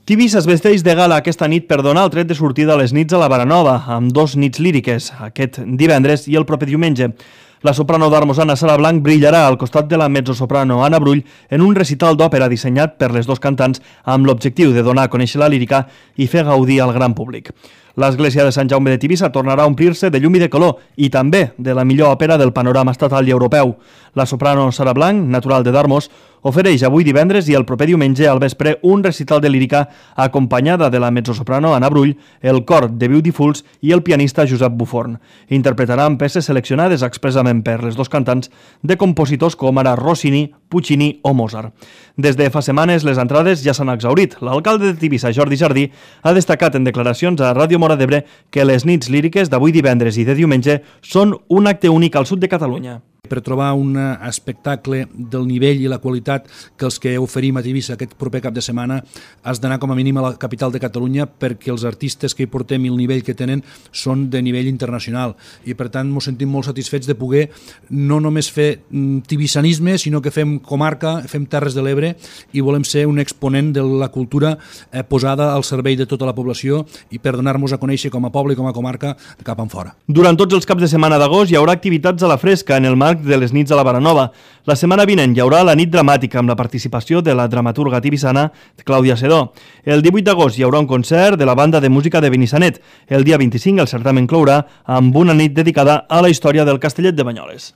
Tivissa es vesteix de gala aquesta nit per donar el tret de sortida a les nits a la Baranova, amb 2 nits líriques, aquest divendres i el proper diumenge. La soprano d'Armos, Sara Blanc, brillarà al costat de la mezzosoprano Anna Brull en un recital d'òpera dissenyat per les dos cantants amb l'objectiu de donar a conèixer la lírica i fer gaudir al gran públic. L'església de Sant Jaume de Tivissa tornarà a omplir-se de llum i de color i també de la millor òpera del panorama estatal i europeu. La soprano Sara Blanc, natural de Darmos, ofereix avui divendres i el proper diumenge al vespre un recital de lírica acompanyada de la mezzosoprano Anna Brull, el cor de Beautifuls i el pianista Josep Buforn. Interpretaran peces seleccionades expressament per les dos cantants de compositors com ara Rossini, Puccini o Mozart. Des de fa setmanes les entrades ja s'han exhaurit. L'alcalde de Tivissa, Jordi Jardí, ha destacat en declaracions a Ràdio Móra d'Ebre que les nits líriques d'avui divendres i de diumenge són un acte únic al sud de Catalunya. Per trobar un espectacle del nivell i la qualitat que els que oferim a Tivissa aquest proper cap de setmana has d'anar com a mínim a la capital de Catalunya, perquè els artistes que hi portem i el nivell que tenen són de nivell internacional i per tant ens sentim molt satisfets de poder no només fer tivissanisme, sinó que fem comarca, fem Terres de l'Ebre i volem ser un exponent de la cultura posada al servei de tota la població i per donar-nos a conèixer com a poble i com a comarca de cap enfora. Durant tots els caps de setmana d'agost hi haurà activitats a la fresca en el marc de les nits a la Baranova. La setmana vinent hi haurà la nit dramàtica amb la participació de la dramaturga tivissana Clàudia Sedó. El 18 d'agost hi haurà un concert de la banda de música de Benissanet. El dia 25 el certamen clourà amb una nit dedicada a la història del Castellet de Banyoles.